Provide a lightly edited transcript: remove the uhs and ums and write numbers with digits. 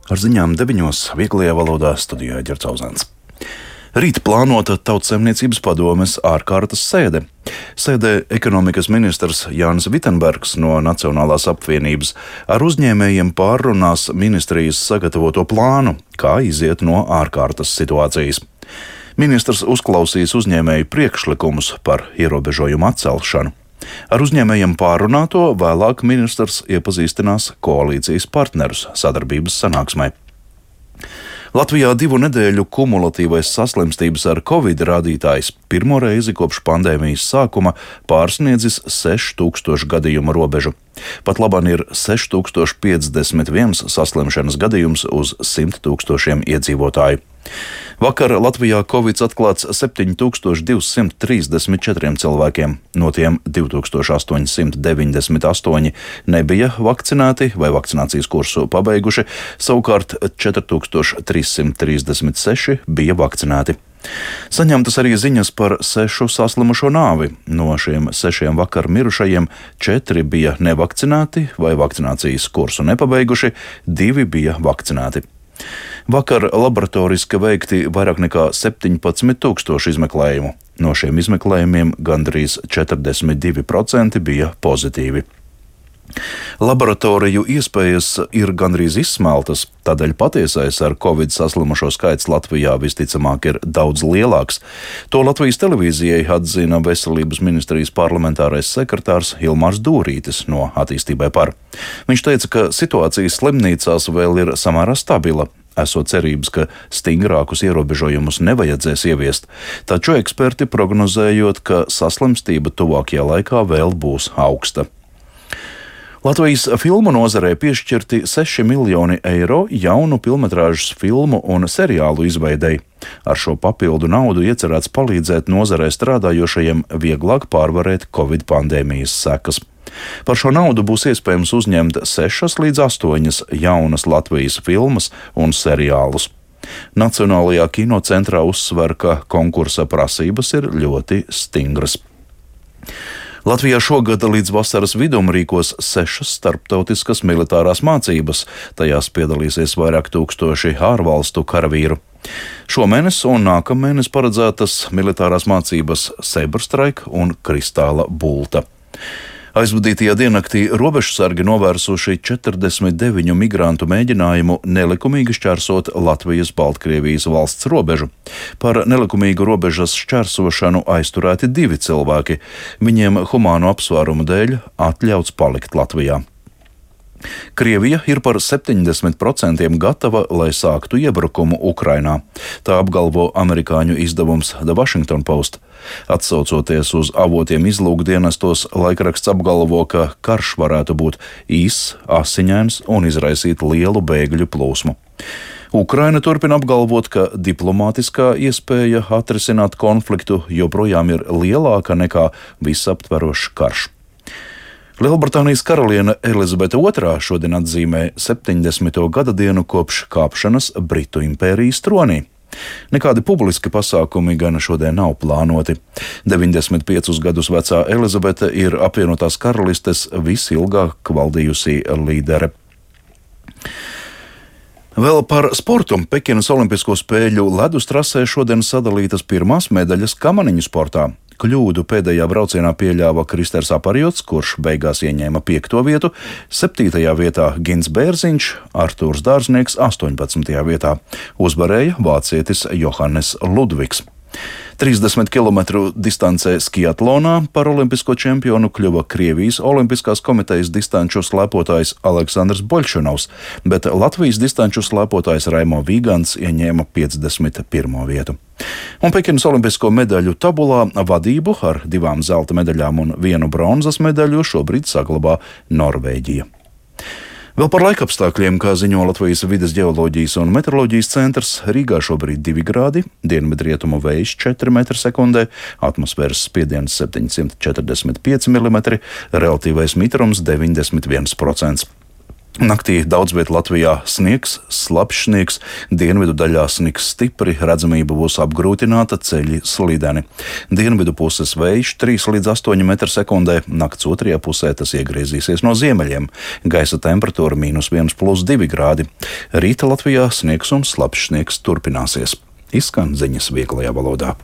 Ar ziņām 9. vieglajā valodā studijā Ģercauzens. Rīt plānota Tautsaimniecības padomes ārkārtas sēde. Sēdē ekonomikas ministrs Jānis Vitenbergs no Nacionālās apvienības ar uzņēmējiem pārrunās ministrijas sagatavoto plānu, kā iziet no ārkārtas situācijas. Ministrs uzklausīs uzņēmēju priekšlikumus par ierobežojumu atcelšanu. Ar uzņēmējiem pārrunāto vēlāk ministrs iepazīstinās koalīcijas partnerus sadarbības sanāksmē. Latvijā 2 nedēļu kumulatīvais saslimstības ar covid rādītājs pirmo reizi kopš pandēmijas sākuma pārsniedzis 6000 gadījumu robežu. Pat labāk ir 6051 saslimšanas gadījums uz 100 000 iedzīvotāju. Vakar Latvijā covid atklāts 7234 cilvēkiem, no tiem 2898 nebija vakcinēti vai vakcinācijas kursu pabeiguši, savukārt 4336 bija vakcinēti. Saņemtas arī ziņas par 6 saslimušo nāvi. No šiem 6 vakar mirušajiem 4 bija nevakcinēti vai vakcinācijas kursu nepabeiguši, 2 bija vakcinēti. Vakar laboratoriski veikti vairāk nekā 17 000 izmeklējumu. No šiem izmeklējumiem gandrīz 42% bija pozitīvi. Laboratoriju iespējas ir gandrīz izsmeltas, tādēļ patiesais ar covid saslimušo skaits Latvijā visticamāk ir daudz lielāks. To Latvijas televīzijai atzina Veselības ministrijas parlamentārais sekretārs Ilmārs Dūrītis no Attīstībai par. Viņš teica, ka situācija slimnīcās vēl ir samērā stabila, esot cerības, ka stingrākus ierobežojumus nevajadzēs ieviest, taču eksperti prognozējot, ka saslimstība tuvākajā laikā vēl būs augsta. Latvijas filmu nozarē piešķirti 6 miljoni eiro jaunu filmetrāžas filmu un seriālu izveidei. Ar šo papildu naudu iecerēts palīdzēt nozarē strādājošajiem vieglāk pārvarēt covid pandēmijas sekas. Par šo naudu būs iespējams uzņemt 6 līdz 8 jaunas Latvijas filmas un seriālus. Nacionālajā kinocentrā uzsver, ka konkursa prasības ir ļoti stingras. Latvijā šogad līdz vasaras vidum rīkos 6 starptautiskas militārās mācības, tajās piedalīsies vairāk tūkstoši ārvalstu karavīru. Šomēnes un nākamēnes paredzētas militārās mācības Saberstrike un Kristāla bulta. Aizvadītajā diennaktī robežsargi novērsuši 49 migrantu mēģinājumu nelikumīgi šķērsot Latvijas-Baltkrievijas valsts robežu. Par nelikumīgu robežas šķērsošanu aizturēti 2 cilvēki. Viņiem humānu apsvērumu dēļ atļauts palikt Latvijā. Krievija ir par 70% gatava, lai sāktu iebrukumu Ukrainā. Tā apgalvo amerikāņu izdevums The Washington Post. Atsaucoties uz avotiem izlūkdienestos, laikraksts apgalvo, ka karš varētu būt īss, asiņains un izraisīt lielu bēgļu plūsmu. Ukraina turpina apgalvot, ka diplomātiskā iespēja atrisināt konfliktu joprojām ir lielāka nekā visaptverošs karš. Lielbritānijas karaliene Elizabete II šodien atzīmē 70. gada dienu kopš kāpšanas Britu impērijas tronī. Nekādi publiski pasākumi gan šodien nav plānoti. 95 gadus vecā Elizabete ir apvienotās karalistes visilgāk valdījusī līdere. Vēl par sportu. Pekinas Olimpisko spēļu ledus trasē šodien sadalītas pirmās medaļas kamaniņu sportā. Kļūdu pēdējā braucienā pieļāva Kristers Aparjots, kurš beigās ieņēma 5. vietu, 7. vietā Gins Bērziņš, Artūrs Dārznieks 18. vietā. Uzvarēja vācietis Johannes Ludvigs. 30 km distancē skiatlonā par olimpisko čempionu kļuva Krievijas Olimpiskās komitejas distanču slēpotājs Aleksandrs Boļšanovs, bet Latvijas distanču slēpotājs Raimo Vīgants ieņēma 51. vietu. Un Pekinas olimpisko medaļu tabulā vadību ar 2 zelta medaļām un 1 bronzas medaļu šobrīd saglabā Norvēģija. Vēl par laikapstākļiem, kā ziņo Latvijas vides ģeoloģijas un meteoroloģijas centrs, Rīgā šobrīd 2 grādi, dienvidrietumu vējš 4 m/sekundē, atmosfēras spiediens 745 mm, relatīvais mitrums 91%. Naktī daudz vietā Latvijā sniegs, slapjš sniegs, dienvidu daļā sniks stipri, redzamība būs apgrūtināta, ceļi slideni. Dienvidu puses vējš 3 līdz 8 m/sekundē, nakts otrajā pusē tas iegriezīsies no ziemeļiem. Gaisa temperatūra -1 + 2 grādi. Rīta Latvijā sniegs un slapjš sniegs turpināsies. Izskan ziņas vieglajā valodā.